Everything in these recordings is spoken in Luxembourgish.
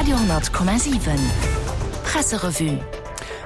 Radio,7 Presserevue.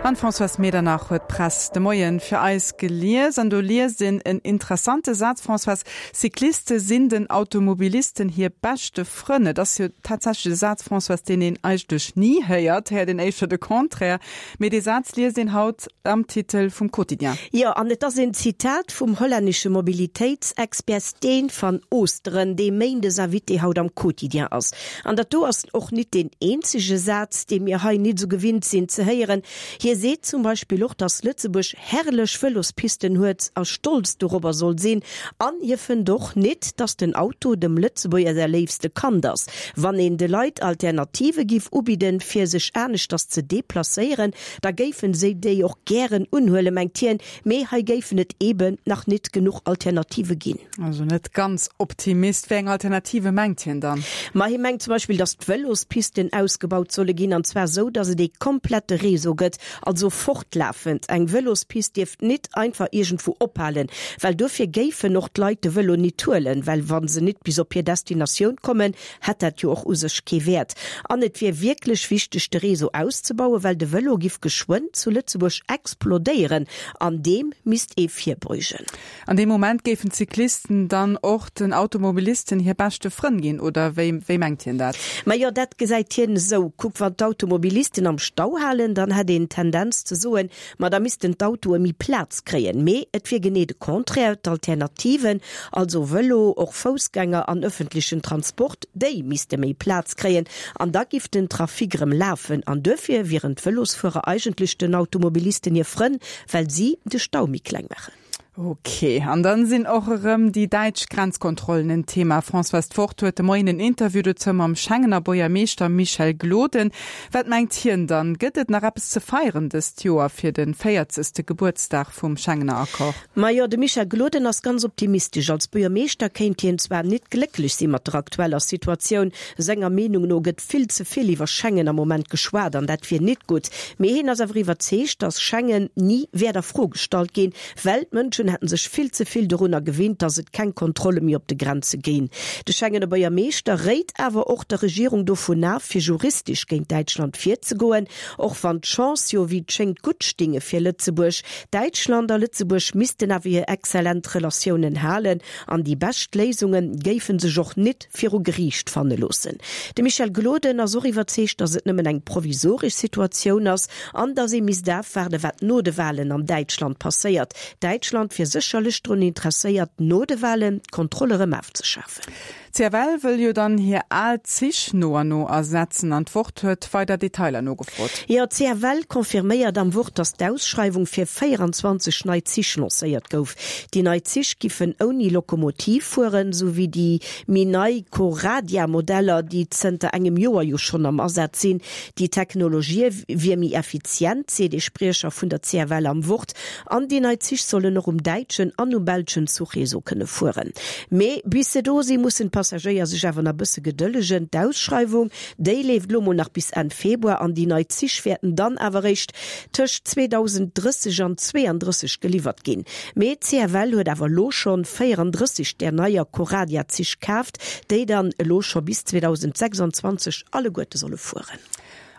An d'Françoise Medernach huet d'Press de Moien fir eis gelies. An do liest een en interessante Saz, Françoise, Cycliste sinn den Automobilisten hir beschte Frënn. Et ass jo tatsächlech e Saz, Françoise, deen een eigentlech ni héiert, héiert een éischter de Contraire. Mee dee Saz liest een haut am Titel vum Quotidien. Jo, an et ass een Zitat vum hollännesche Mobilitéitsexpert Steen van Oosteren, dee méindes Invité haut am Quotidien ass. An dat do ass och nit deen eenzege Saz, dee mir hei nit esou gewinnt sinn ze héieren. Hie seet zum Beispill och, datt Lëtzebuerg herrlech Vëlospisten huet a stolz dorobber soll sinn. An hie fënnt och nit, datt den Auto dem Lëtzebuerger säi léifste Kand ass. Wann een de Leit Alternative giff ubidden, fir sech aneschters ze deplacéieren, da géifen si déi och gären unhuelen, mengt hien. Mee hei géifen et eeben nach nit genuch Alternative ginn. Also net ganz Optimist. Wéi eng Alternative mengt hien dann? Ma hie mengt zum Beispill, datt d'Vëlospisten ausgebaut solle ginn, an zwar esou, datt et ee komplette Réseau gëtt, also fortlafend. Eng Vëlospist dierft nit einfach iergendwou ophalen, well dofir géifen och d'Leit de Vëlo nit huelen, well wa se nit bis op hir Destinatioun kommen, hätt dat jo och u sech kee Wäert. An et wier wierklech wichteg, de Réseau auszebauen, well de Vëlo giff geschwënn zu Lëtzebuerg explodéieren an deem misst ee virbeugen. An deem Moment géifen d'Cyclisten dann och den Automobilisten hir beschte Frënn ginn, oder wéi, wéi mengt hien dat? Majo, dat gesäit hien esou. Kuck, wann d'Automobilisten am Stau halen, dann hätt een d'Tendenz ze soen, ma da missten d'Autoe méi Plaz kréien. Mee et wier genee de Contraire, d'Alternativen, also Vëlo, och Foussgänger an ëffentlechen Transport, déi misste méi Plaz kréien an da giff den Trafic erëm lafen. An duerfir wieren d'Vëlosfuerer eigentlech den Automobilisten hir Frënn, well si de Stau méi kleng maachen. Ok, an dann sinn och erëm déi däitsch Grenzkontrollen en Thema. Françoise D'Wort huet de Moien en Interview dozou mam Schengener Buergermeeschter Michel Gloden. Wat mengt hien dann? Gëtt et nach eppes ze feieren dëst Joer fir de véierzegste Gebuertsdag vum Schengener Accord? Majo, de Michel Gloden ass ganz optimistesch. Als Buergermeeschter kéint hien zwar nit glécklech si mat der aktueller Situatioun, senger Meenung no gëtt vill ze vill iwwer Schengen am Moment geschwat an dat wier nit gutt. Mee hien ass awer iwwerzeegt, datt Schengen ni wäert a Fro gestallt ginn, well d'Mënschen hätten sech vill ze vill dorunner gewinnt, datt et keng Kontrolle méi op de Grenze géing. De Schengener Buergermeeschter réit awer och der Regierung dovun af, fir juristesch géint Däitschland virzegoen, och wann d'Chance jo wéi et schéngt gutt stinge fir Lëtzebuerg. Däitschland a Lëtzebuerg missten awer hir exzellent Relatiounen halen an déi bescht Léisunge géife sech och nit viru Geriicht fanne loossen. De Michel Gloden ass och iwwerzeegt, datt et nëmmen eng provisoresch Situatioun ass an datt ee misst afwaarde wat no de Walen an Däitschland passéiert. Däitschland wier sécherlech drun interesséiert, no de Walen d'Kontroll erëm afzeschafen. D'CFL wëll jo dann hir al Zich no an no ersetzen an d'Wort huet weider Detailer nogefrot. Jo, d'CFL confirméiert am Wort, datt d'Ausschreiwung fir 24 nei Zich lancéiert gouf. Déi nei Zich giffen ouni Lokomotiv fueren, sou wéi déi méi nei Coradia-Modeller, déi zënter engem Joer jo schonn am Asaz sinn. Déi Technologie wier méi effizient, seet ee Spriecher vun der CFL am Wort. An déi nei Zich sollen och um däitschen an um belschen Zuchreseau kënne fueren. Mee bis se do sinn, mussen d'Passagéier sech awer nach bësse gedëllegen. D'Ausschreiwung, déi leeft lo mol nach bis Enn Februar an déi nei Zich wäerten dann awer eréischt tëscht 2030 an 32 geliwwert ginn. Mee d'CFL huet awer elo schonn 34 där neier Coradia-Zich kaaft, déi dann elo scho bis 2026 alleguerte solle fueren.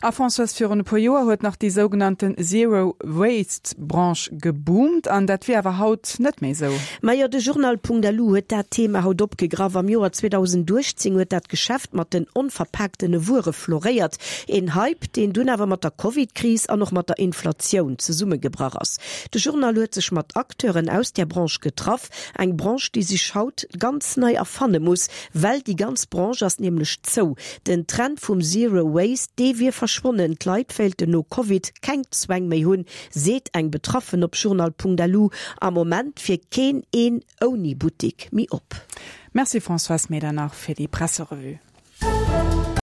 A Françoise, virun e puer Joer huet nach déi sougenannten Zero Waste Branche geboomt an dat wier awer haut net méi esou. Majo, de Journal.lu huet dat Thema haut opgegraff. Am Joer 2018 huet dat Geschäft mat den onverpaaktene Wuere floréiert. Een Hype, deen dunn awer mat der Covid-Kris an och mat der Inflatioun zesummegebrach ass. De Journal huet sech mat Acteuren aus där Branche getraff, eng Branche, déi sech haut ganz nei erfanne muss, well déi ganz Branche ass nämlech zou. Den Trend vum Zero Waste, dee wier verschwonnen, d'Leit wéilten no Covid keng Zwäng méi hunn, seet eng Betraffen op journal.lu. Am Moment wier keen een ouni Buttik méi op. Merci Françoise Medernach fir déi Presserevue.